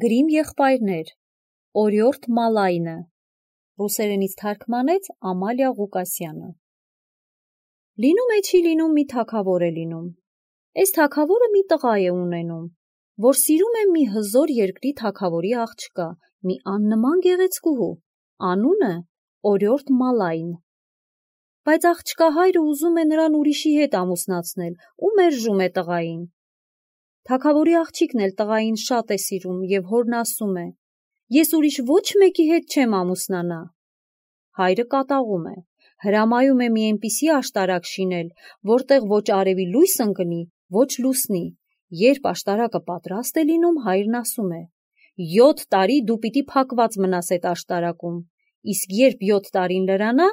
Գրիմ եղբայրներ, Օրիորդ Մալայնը, ռուսերենից թարգմանեց Ամալիա Ղուկասյանը։ Լինում է չի լինում մի թագավոր է լինում։ Այս թագավորը մի տղա է ունենում, որ սիրում է մի հզոր երկրի թագավորի աղջկա, մի աննման գեղեցկուհու, անունը Օրիորդ Մալայն։ Բայց աղջկա հայրը ուզում է նրան ուրիշի հետ ամուսնացնել ու մերժում է տղային։ Թագավորի աղջիկն էլ տղային շատ է սիրում և հորն ասում է. «Ես ուրիշ ոչ մեկի հետ չեմ ամուսնանա»։ Հայրը կատաղում է, հրամայում է մի այնպիսի աշտարակ շինել, որտեղ ոչ արևի լույս ընկնի, ոչ լուսնի։ Երբ աշտարակը պատրաստ է լինում, հայրն ասում է. «7 տարի դու պիտի փակված մնաս այդ աշտարակում, իսկ երբ 7 տարին լրանա,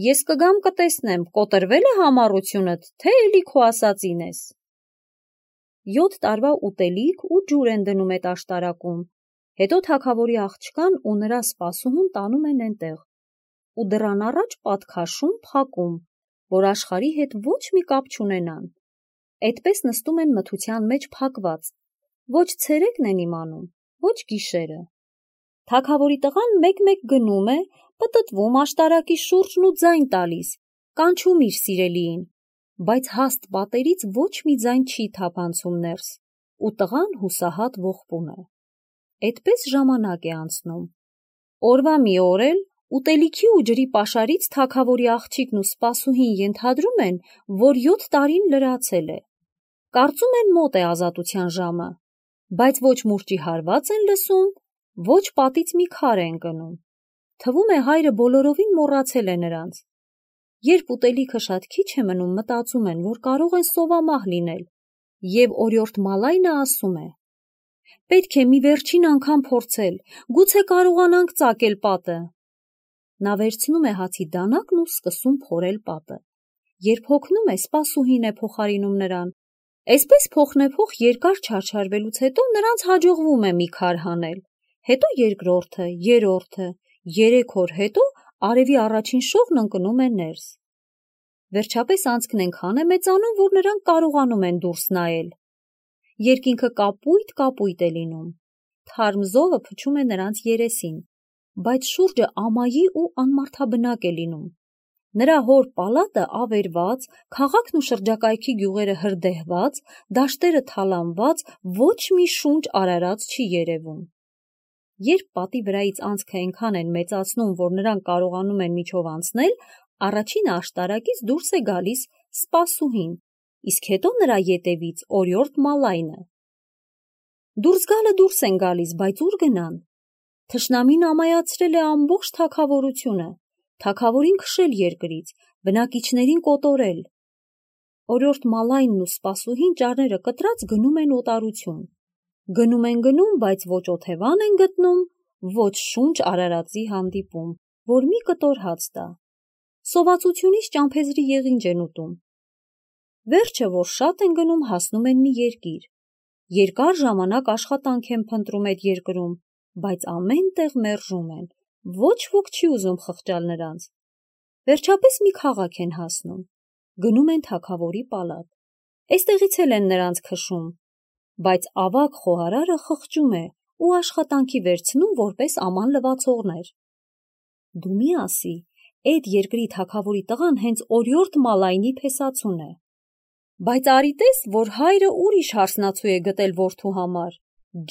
ես կգամ կտեսնեմ, կոտրվել է համառությունդ, թե էլի քո ասածին ես»։ 7 տարվա ուտելիք ու ջուր են դնում այդ աշտարակում, հետո թագավորի աղջկան ու նրա սպասուհուն տանում են այնտեղ ու դռան առաջ պատքաշում փակում, որ աշխարհի հետ ոչ մի կապ չունենան։ Այդպես նստում են մթության մեջ փակված, ոչ ցերեկն են իմանում, ոչ գիշերը։ Թագավորի տղան մեկ-մեկ գնում է, պտտվում աշտարակի շուրջն ու ձայն տալիս, կանչում իր սիրելիին, բայց հաստ պատերից ոչ մի ձայն չի թափանցում ներս, ու տղան հուսահատ ողբում է։ Այդպես ժամանակ է անցնում։ Օրվա մի օր էլ ուտելիքի ու ջրի պաշարից թագավորի աղջիկն ու սպասուհին ենթադրում են, որ 7 տարին լրացել է։ Կարծում են մոտ է ազատության ժամը, բայց ոչ մուրճի հարված են լսում, ոչ պատից մի քար է ընկնում։ Թվում է հայրը բոլորովին մոռացել է նրանց։ Երբ ուտելիքը շատ քիչ է մնում, մտածում են, որ կարող են սովամահ լինել, և Օրիորդ Մալայնը ասում է. «Պետք է մի վերջին անգամ փորձել, գուցե կարողանանք ծակել պատը»։ Նա վերցնում է հացի դանակն ու սկսում փորել պատը։ Երբ հոգնում է, սպասուհին է փոխարինում նրան։ Այսպես փոխնեփոխ երկար չարչարվելուց հետո նրանց հաջողվում է մի քար հանել, հետո երկրորդը, երրորդը, 3 օր հետո արևի առաջին շողն ընկնում է ներս։ Վերջապես անցքն այնքան է մեծանում, որ նրանք կարողանում են դուրս նայել։ Երկինքը կապույտ է լինում։ Թարմ զովը փչում է նրանց երեսին, բայց շուրջը ամայի ու անմարդաբնակ է լինում։ Նրա հոր պալատը ավերված, քաղաքն ու շրջակայքի գյուղերը հրդեհված, դաշտերը թալանված, ոչ մի շունչ արարած չի երևում։ Երբ պատի վրայից անցքը այնքան են մեծացնում, որ նրանք կարողանում են միջով անցնել, առաջինը աշտարակից դուրս է գալիս սպասուհին, իսկ հետո նրա ետևից Օրիորդ Մալայնը։ Դուրս գալը դուրս են գալիս, բայց ուր գնան։ Թշնամին ամայացրել է ամբողջ թագավորությունը, թագավորին քշել երկրից, բնակիչներին կոտորել։ Օրիորդ Մալայնն ու սպասուհին ճարները կտրած գնում են օտարություն։ Գնում են գնում, բայց ոչ օթևան են գտնում, ոչ շունչ արարածի հանդիպում, որ մի կտոր հաց տա։ Սովածությունից ճամփեզրի եղինջ են ուտում։ Վերջը, որ շատ են գնում, հասնում են մի երկիր։ Երկար ժամանակ աշխատանք են փնտրում այդ երկրում, բայց ամեն տեղ մերժում են, ոչ ոք չի ուզում խղճալ նրանց։ Վերջապես մի քաղաք են հասնում, գնում են թագավորի պալատ։ Այստեղից էլ են նրանց քշում, բայց ավագ խոհարարը խղճում է ու աշխատանքի վերցնում որպես աման լվացողներ։ Դու մի ասի, այդ երկրի թագավորի տղան հենց Օրիորդ Մալայնի փեսացուն է։ Բայց արի տես, որ հայրը ուրիշ հարսնացու է գտել որդու համար,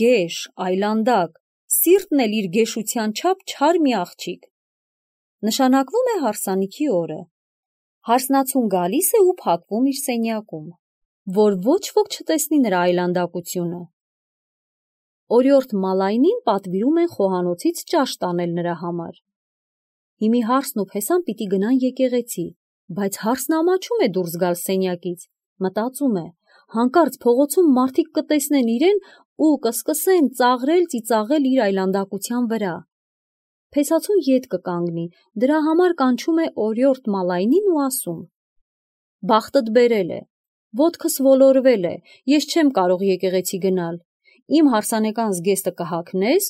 գեշ, այլանդակ, սիրտն էլ իր գեշության չափ չար մի աղջիկ։ Նշանակվում է հարսանիքի օրը։ Հարսնացուն գալիս է ու փակվում իր սենյակում, որ ոչ ոք չտեսնի նրա այլանդակությունը։ Օրիորդ Մալայնին պատվիրում են խոհանոցից ճաշ տանել նրա համար։ Հիմի հարսն ու փեսան պիտի գնան եկեղեցի, բայց հարսն ամաչում է դուրս գալ սենյակից, մտածում է, հանկարծ փողոցում մարդիկ կտեսնեն իրեն ու կսկսեն ծաղրել ծիծաղել իր այլանդակության վրա։ Փեսացուն ետ կկանգնի, դրա համար կանչում է Օրիորդ Մալայնին ու ասում. «Բախտդ բերել է, ոտքս ոլորվել է, ես չեմ կարող եկեղեցի գնալ, իմ հարսանեկան զգեստը կհագնես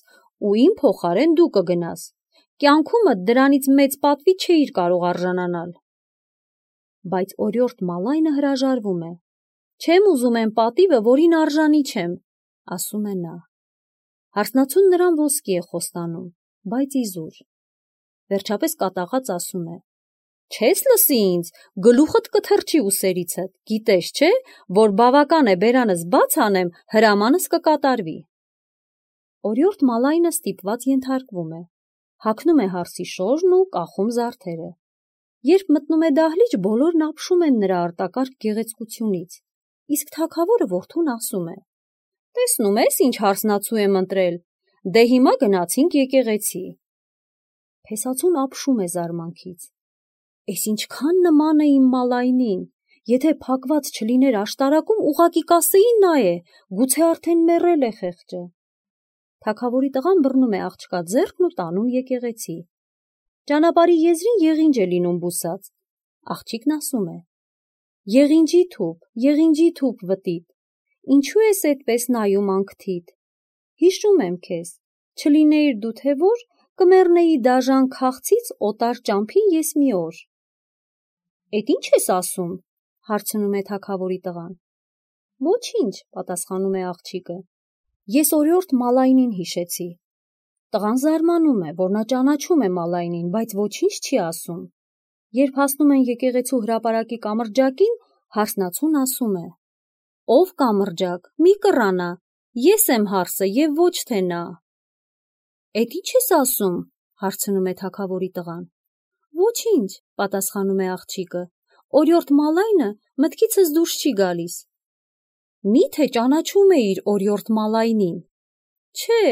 ու իմ փոխարեն դու կգնաս, կյանքումդ դրանից մեծ պատվի չէիր կարող արժանանալ»։ Բայց Օրիորդ Մալայնը հրաժարվում է. «Չեմ ուզում այն պատիվը, որին արժանի չեմ», ասում է նա։ Հարսնացուն նրան ոսկի է խոստանում, բայց իզուր։ Վերջապես կատաղած ասում է. «Չես լսի ինձ, գլուխդ կթռչի ուսերիցդ, գիտես չէ, որ բավական է բերանս բաց անեմ, հրամանս կկատարվի»։ Օրիորդ Մալայնը ստիպված ենթարկվում է, հագնում է հարսի շորն ու կախում զարդերը։ Երբ մտնում է դահլիճ, բոլորն ապշում են նրա արտակարգ գեղեցկությունից, իսկ թագավորը որդուն ասում է. «Տեսնում ես, ինչ հարսնացու եմ ընտրել, դե հիմա գնացինք եկեղեցի»։ Փեսացուն ապշում է զարմանքից. «Էս ինչքան նման է իմ Մալայնին, եթե փակված չլիներ աշտարակում, ուղղակի կասեի նա է, գուցե արդեն մեռել է խեղճը»։ Թագավորի տղան բռնում է աղջկա ձեռքն ու տանում եկեղեցի։ Ճանապարհի եզրին եղինջ է լինում բուսած։ Աղջիկն ասում է. եղինջի թուփ վտիտ, ինչու ես այդպես նայում անքթիդ։ Հիշում եմ քեզ, չլինեիր դու թե որ, կմեռնեի դաժան քաղցից օտար ճամփին ես մի օր։ Էդ ինչ ես ասում, հարցնում է թագավորի տղան։ Ոչինչ, պատասխանում է աղջիկը, ես օրիորդ Մալայնին հիշեցի։ Տղան զարմանում է, որ նա ճանաչում է Մալայնին, բայց ոչինչ չի ասում։ Երբ հասնում են եկեղեցու հրապարակի կամրջակին, հարսնացուն ասում է. «Ով կամրջակ, մի կռանա, ես եմ հարսը և ոչ թե նա»։ Էդ ինչ ես ասում, հարցնում է թագավորի տղան։ Ոչինչ, պատասխանում է աղջիկը, օրիորդ Մալայնը մտքիցս դուրս չի գալիս։ Մի՞թե ճանաչում էիր օրիորդ Մալայնին։ Չէ,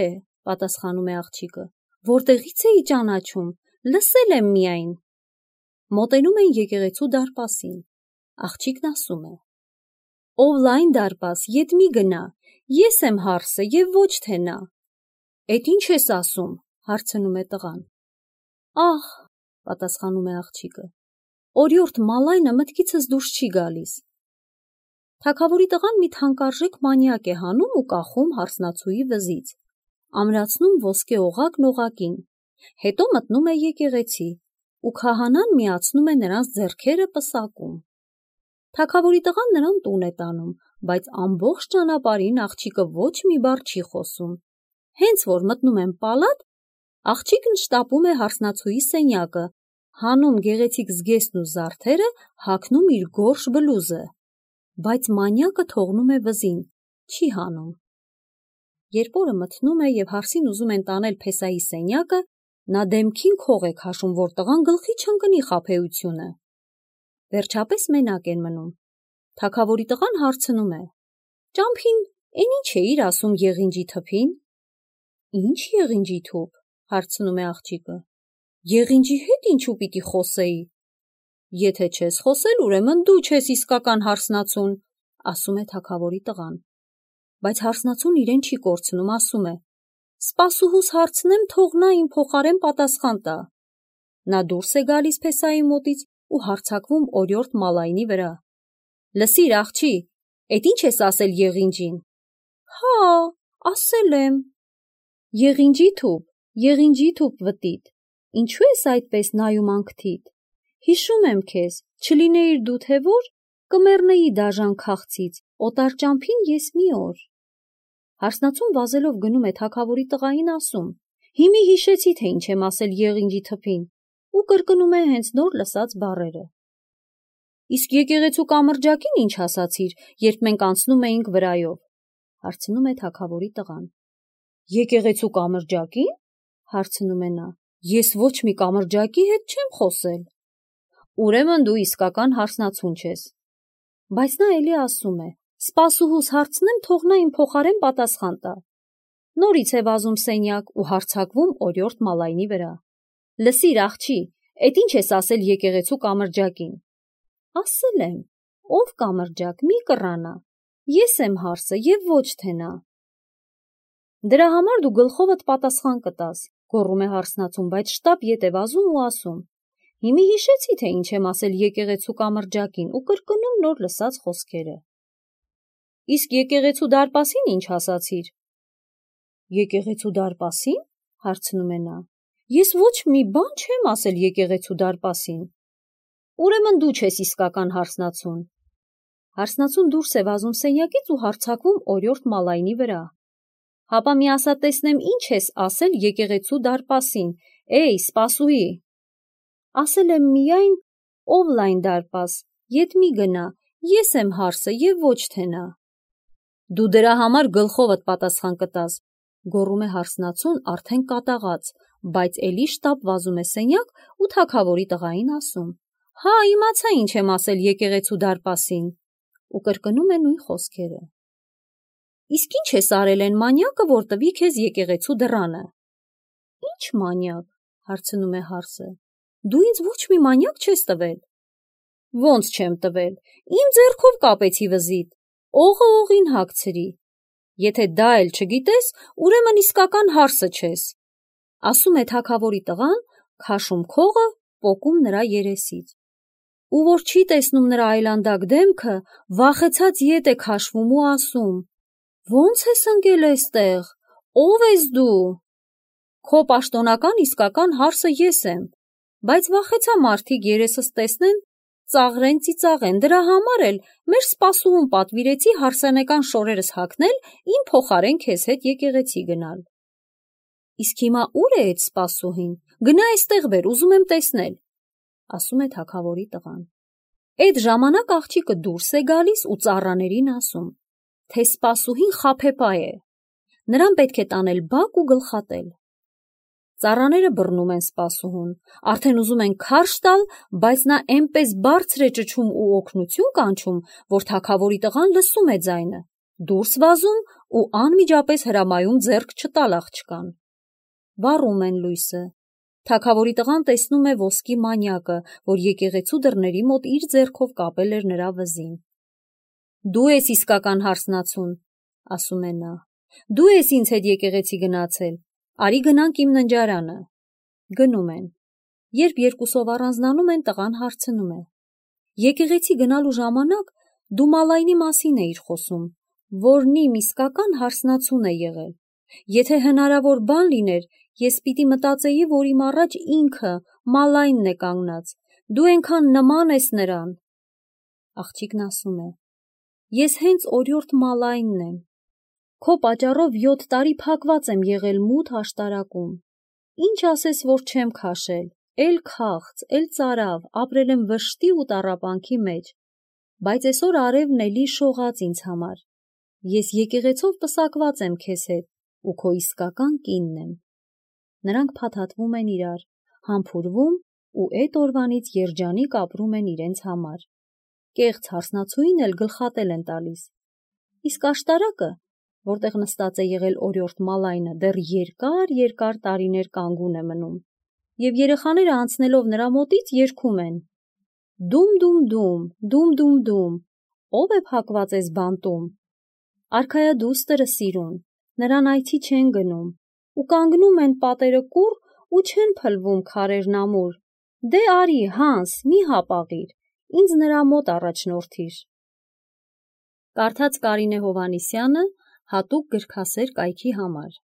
պատասխանում է աղջիկը, որտեղից էի ճանաչում, լսել եմ միայն։ Մոտենում են եկեղեցու դարպասին։ Աղջիկն ասում է. «Ով լայն դարպաս, ետ մի գնա, ես եմ հարսը և ոչ թե նա»։ Էդ ինչ ես ասում, հարցնում է տղան։ Ահ, պատասխանում է աղջիկը, օրիորդ Մալայնը մտքիցս դուրս չի գալիս։ Թագավորի տղան մի թանկարժեք մանյակ է հանում ու կախում հարսնացուի վզից, ամրացնում ոսկե օղակն օղակին, հետո մտնում է եկեղեցի ու քահանան միացնում է նրանց ձեռքերը պսակում։ Թագավորի տղան նրան տուն է տանում, բայց ամբողջ ճանապարհին աղջիկը ոչ մի բառ չի խոսում։ Հենց որ մտնում են պալատ, աղջիկն շտապում է հարսնացուի սենյակը, հանում գեղեցիկ զգեստն ու զարդերը, հագնում իր գորշ բլուզը, բայց մանյակը թողնում է վզին, չի հանում։ Երբ օրը մթնում է և հարսին ուզում են տանել Փեսայի սենյակը, նա դեմքին քող է քաշում, որ տղան գլխի չընկնի խաբեությունը։ Վերջապես մենակ են մնում։ Թագավորի տղան հարցնում է. «Ճամփին էն ինչ էիր ասում եղինջի թփին»։ Ինչ եղինջի թուփ, հարցնում է աղջիկը։ Եղինջի հետ ինչու պիտի խոսեի։ Եթե չես խոսել, ուրեմն դու չես իսկական հարսնացուն, ասում է թագավորի տղան։ Բայց հարսնացուն իրեն չի կորցնում, ասում է. Սպասուհուս հարցնեմ, թող նա իմ փոխարեն պատասխան տա։ Նա դուրս է գալիս Փեսայի մոտից ու հարձակվում օրիորդ Մալայնի վրա։ Լսիր, աղջի, էդ ինչ ես ասել եղինջին։ Հա, ասել եմ։ Եղինջի թուփ վտիտ, ինչու ես այդպես նայում անքթիդ։ Հիշում եմ քեզ, չլինեիր դու թե որ, կմեռնեի դաժան քաղցից, օտար ճամփին ես մի օր։ Հարսնացուն վազելով գնում է թագավորի տղային, ասում. Հիմի հիշեցի, թե ինչ եմ ասել եղինջի թփին, ու կրկնում է հենց նոր լսած բառերը։ Իսկ եկեղեցու կամրջակին ինչ ասացիր, երբ մենք անցնում էինք վրայով, հարցնում է թագավորի տղան։ Եկեղեցու կամրջակին, հարցնում է նա, ես ոչ մի կամրջակի հետ չեմ խոսել։ Ուրեմն դու իսկական հարսնացուն չես։ Բայց նա էլի ասում է. Սպասուհուս հարցնեմ, թող նա իմ փոխարեն պատասխան տա։ Նորից է վազում սենյակ ու հարձակվում օրիորդ Մալայնի վրա։ Լսիր, աղջի, էդ ինչ ես ասել եկեղեցու կամրջակին։ Ասել եմ, ով կամրջակ, մի կռանա, ես եմ հարսը և ոչ թե նա։ Դրա համար դու գլխովդ պատասխան կտաս, գոռում է հարսնացուն, բայց շտապ ետ է վազում ու ասում. Հիմի հիշեցի, թե ինչ եմ ասել եկեղեցու կամրջակին ու կրկնում նոր լսած խոսքերը։ Իսկ եկեղեցու դարպասին ինչ ասացիր։ Եկեղեցու դարպասին, հարցնում է նա։ Ես ոչ մի բան չեմ ասել եկեղեցու դարպասին։ Ուրեմն դու չես իսկական հարսնացուն։ Հարսնացուն դուրս է վազում սենյակից ու հարձակվում օրիորդ Մալայնի վրա։ Հապա մի ասա տեսնեմ ինչ ես ասել եկեղեցու դարպասին, էй, սպասուհի։ Ասել եմ միայն ով լայն դարպաս, ետ մի գնա, ես եմ հարսը և ոչ թե նա։ Դու դրա համար գլխովդ պատասխան կտաս, գոռում է հարսնացուն արդեն կատաղած, բայց էլի շտապ վազում է սենյակ ու թագավորի տղային ասում. Հա, իմացա ինչ եմ ասել եկեղեցու դարպասին, ու կրկնում է նույն խոսքերը։ Իսկ ինչ ես արել են մանյակը, որ տվի քեզ եկեղեցու դռանը։ Ինչ մանյակ, հարցնում է հարսը, դու ինձ ոչ մի մանյակ չես տվել։ Ոնց չեմ տվել, իմ ձեռքով կապեցի վզիդ, օղը օղին հագցրի։ Եթե դա էլ չգիտես, ուրեմն իսկական հարսը չես, ասում է թագավորի տղան, քաշում քողը, պոկում նրա երեսից։ Ու որ չի տեսնում նրա այլանդակ դեմքը, վախեցած ետ է քաշվում ու ասում. Ոնց ես ընկել էստեղ, ով ես դու։ Քո պաշտոնական իսկական հարսը ես եմ, բայց վախեցա մարդիկ երեսս տեսնեն, ծաղրեն ծիծաղեն, դրա համար էլ մեր սպասուհուն պատվիրեցի հարսանեկան շորերս հագնել, իմ փոխարեն քեզ հետ եկեղեցի գնալ։ Իսկ հիմա ուր է այդ սպասուհին, գնա էստեղ բեր, ուզում եմ տեսնել, ասում է թագավորի տղան։ Այդ ժամանակ աղջիկը դուրս է գալիս ու ծառաներին ասում, թե սպասուհին խաբեբայ է, նրան պետք է տանել բակ ու գլխատել։ Ծառաները բռնում են սպասուհուն, արդեն ուզում են քարշ տալ, բայց նա էնպես բարձր է ճչում ու օգնություն կանչում, որ թագավորի տղան լսում է ձայնը, դուրս վազում ու անմիջապես հրամայում ձեռք չտալ աղջկան։ Վառում են լույսը։ Թագավորի տղան տեսնում է ոսկի մանյակը, որ եկեղեցու դռների մոտ իր ձեռքով կապել էր նրա վզին։ Դու ես իսկական հարսնացուն, ասում է նա։ Դու ես ինձ հետ եկեղեցի գնացել, արի գնանք իմ ննջարանը։ Գնում են։ Երբ երկուսով առանձնանում են, տղան հարցնում է. Եկեղեցի գնալու ժամանակ դու Մալայնի մասին էիր խոսում, որն իմ իսկական հարսնացուն է եղել։ Եթե հնարավոր բան լիներ, ես պիտի մտածեի, որ իմ առաջ ինքը Մալայնն է կանգնած, դու այնքան նման ես նրան։ Աղջիկն ասում է. Ես հենց օրիորդ Մալայնն եմ։ Քո պատճառով 7 տարի փակված եմ եղել մութ աշտարակում։ Ինչ ասես, որ չեմ քաշել, էլ քաղց, էլ ծարավ, ապրել եմ վշտի ու տառապանքի մեջ, բայց այսօր արևն էլի շողաց ինձ համար։ Ես եկեղեցով պսակված եմ քեզ հետ ու քո իսկական կինն եմ։ Նրանք փաթաթվում են իրար, համբուրվում ու այդ օրվանից երջանիկ ապրում են իրենց համար։ Կեղծ հարսնացուին էլ գլխատել են տալիս։ Իսկ աշտարակը, որտեղ նստած է եղել օրիորդ Մալայնը, դեռ երկար տարիներ կանգուն է մնում, և երեխաները անցնելով նրա մոտից երգում են. Դում դում դում, դում դում դում, ով է փակված էս բանտում։ Արքայադուստրը սիրուն, նրան այցի չեն գնում, ու կանգնում են պատերը կուռ ու չեն փլվում քարերն ամուր։ Դե արի, Հանս, մի հապաղիր, ինձ նրա մոտ առաջնորդիր։ Կարդաց Կարինե Հովհաննիսյանը հատուկ գրքասեր կայքի համար։